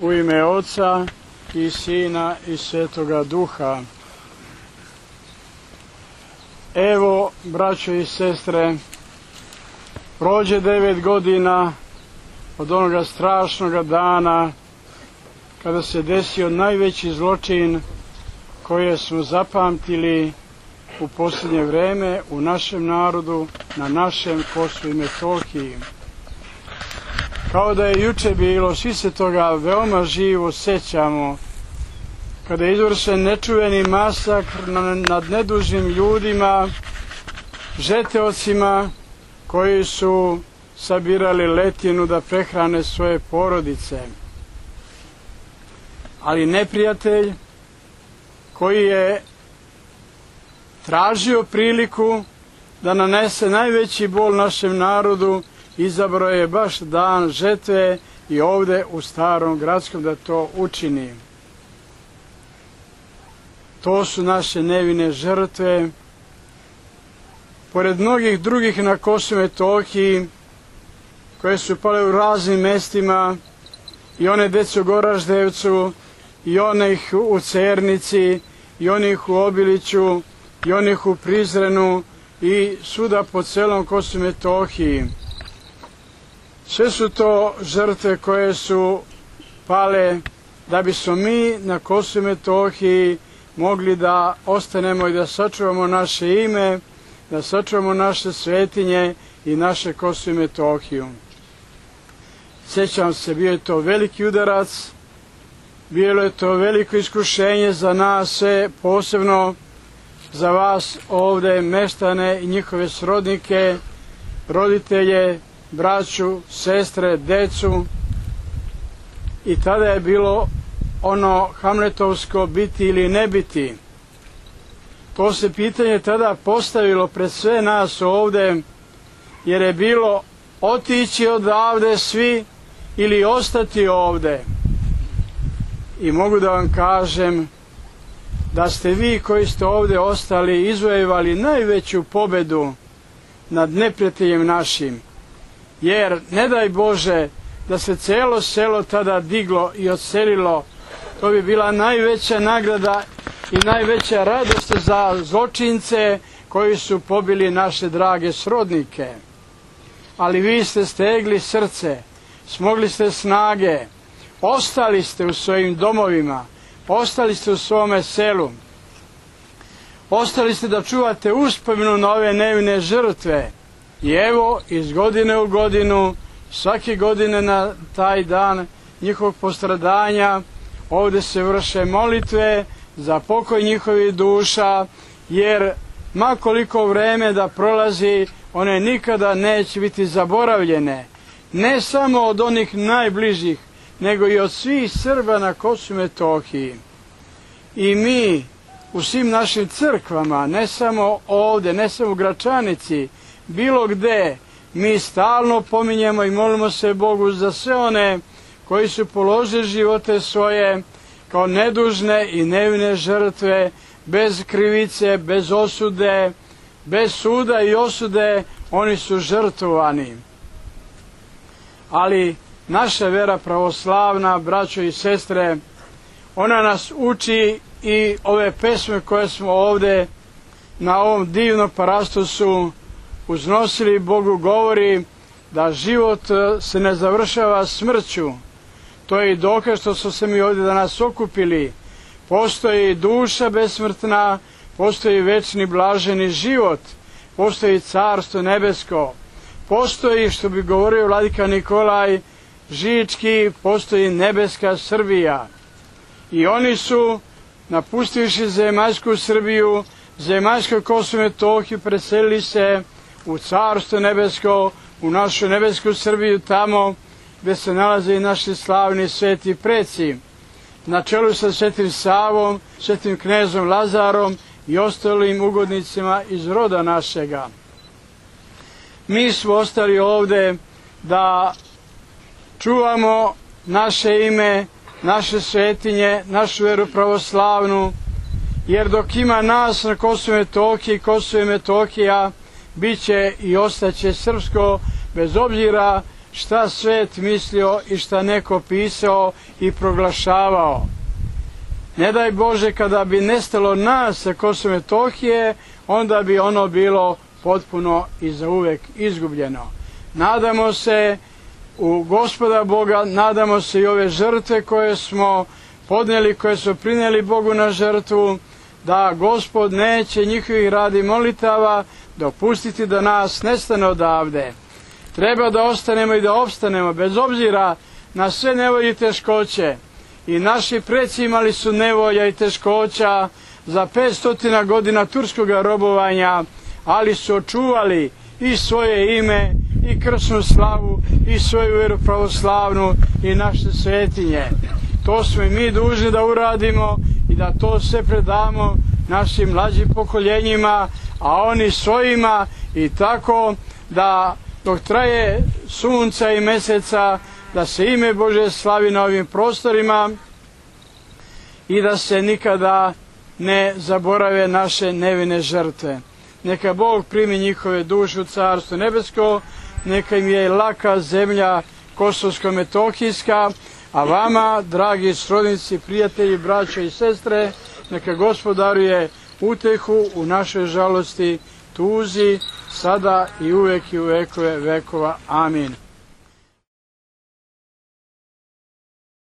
U ime Oca i Sina i Svetoga Duha. Evo, braćo i sestre, prođe 9 godina od onoga strašnoga dana kada se desio najveći zločin koje smo zapamtili u posljednje vreme u našem narodu, na našem Kosovu i Metohiji. Kao da je juče bilo, svi se toga veoma živo sećamo, kada je izvršen nečuveni masakr nad nedužnim ljudima, žeteocima koji su sabirali letinu da prehrane svoje porodice. Ali neprijatelj koji je tražio priliku da nanese najveći bol našem narodu, izabrao je baš dan žetve i ovde u Starom Gradskom da to učini. To su naše nevine žrtve. Pored mnogih drugih na Kosovu i Metohiji, koje su pale u raznim mestima, i one dece u Goraždevcu, i onih u Cernici, i onih u Obiliću, i onih u Prizrenu, i svuda po celom Kosovu i Metohiji. Sve su to žrtve koje su pale da bismo mi na Kosovu i Metohiji mogli da ostanemo i da sačuvamo naše ime, da sačuvamo naše svetinje i naše Kosovo i Metohiju. Sjećam se, bio je to veliki udarac, bilo je to veliko iskušenje za nas sve, posebno za vas ovde, meštane i njihove srodnike, roditelje, braću, sestre, decu. I tada je bilo ono hamletovsko biti ili ne biti. To se pitanje tada postavilo pred sve nas ovde, jer je bilo otići odavde svi ili ostati ovde. I mogu da vam kažem da ste vi koji ste ovde ostali izvojevali najveću pobedu nad neprijateljem našim. Jer, ne daj Bože, da se celo selo tada diglo i odselilo, to bi bila najveća nagrada i najveća radost za zločince koji su pobili naše drage srodnike. Ali vi ste stegli srce, smogli ste snage, ostali ste u svojim domovima, ostali ste u svome selu, ostali ste da čuvate uspomenu na ove nevine žrtve. I evo, iz godine u godinu, svake godine na taj dan njihovog postradanja, ovde se vrše molitve za pokoj njihovih duša, jer makoliko vreme da prolazi, one nikada neće biti zaboravljene. Ne samo od onih najbližih, nego i od svih Srba na Kosovu i Metohiji. I mi u svim našim crkvama, ne samo ovde, ne samo u Gračanici, bilo gde, mi stalno pominjemo i molimo se Bogu za sve one koji su položili živote svoje kao nedužne i nevine žrtve, bez krivice, bez osude, bez suda i osude, oni su žrtvovani. Ali naša vera pravoslavna, braćo i sestre, ona nas uči i ove pesme koje smo ovde na ovom divnom parastosu uznosili, Bogu govori da život se ne završava smrću. To je i dokaz što smo se mi ovdje danas okupili. Postoji duša besmrtna, postoji večni blaženi život, postoji carstvo nebesko, postoji, što bi govorio vladika Nikolaj Žički, postoji nebeska Srbija. I oni su, napustivši zemaljsku Srbiju, zemaljsko Kosovo i Metohiju, preselili se u carstvo nebesko, u našu nebesku Srbiju, tamo gde se nalaze i naši slavni sveti preci, na čelu sa Svetim Savom, Svetim knezom Lazarom i ostalim ugodnicima iz roda našega. Mi smo ostali ovde da čuvamo naše ime, naše svetinje, našu veru pravoslavnu, jer dok ima nas na Kosovu i Metohiji, Kosovo i Metohija bit će i ostaće srpsko, bez obzira šta svet mislio i šta neko pisao i proglašavao. Ne daj Bože, kada bi nestalo nas sa Kosova i Metohije, onda bi ono bilo potpuno i zauvek izgubljeno. Nadamo se u Gospoda Boga, nadamo se i ove žrtve koje smo podnijeli, koje smo prinijeli Bogu na žrtvu, da Gospod neće njihovih radi molitava dopustiti da nas nestane odavde. Treba da ostanemo i da opstanemo, bez obzira na sve nevolje i teškoće. I naši preci imali su nevolja i teškoća za 500 godina turskog robovanja, ali su očuvali i svoje ime, i krsnu slavu, i svoju veru pravoslavnu, i naše svetinje. To smo i mi dužni da uradimo i da to sve predamo našim mlađim pokoljenjima, a oni svojima, i tako da dok traje sunca i meseca, da se ime Božje slavi na ovim prostorima i da se nikada ne zaborave naše nevine žrtve. Neka Bog primi njihove duše u Carstvo nebesko, neka im je laka zemlja Kosovsko-Metohijska, a vama, dragi srodnici, prijatelji, braćo i sestre, neka Gospod daruje utehu u našoj žalosti, tuzi, sada i uvek i u vekove vekova. Amin.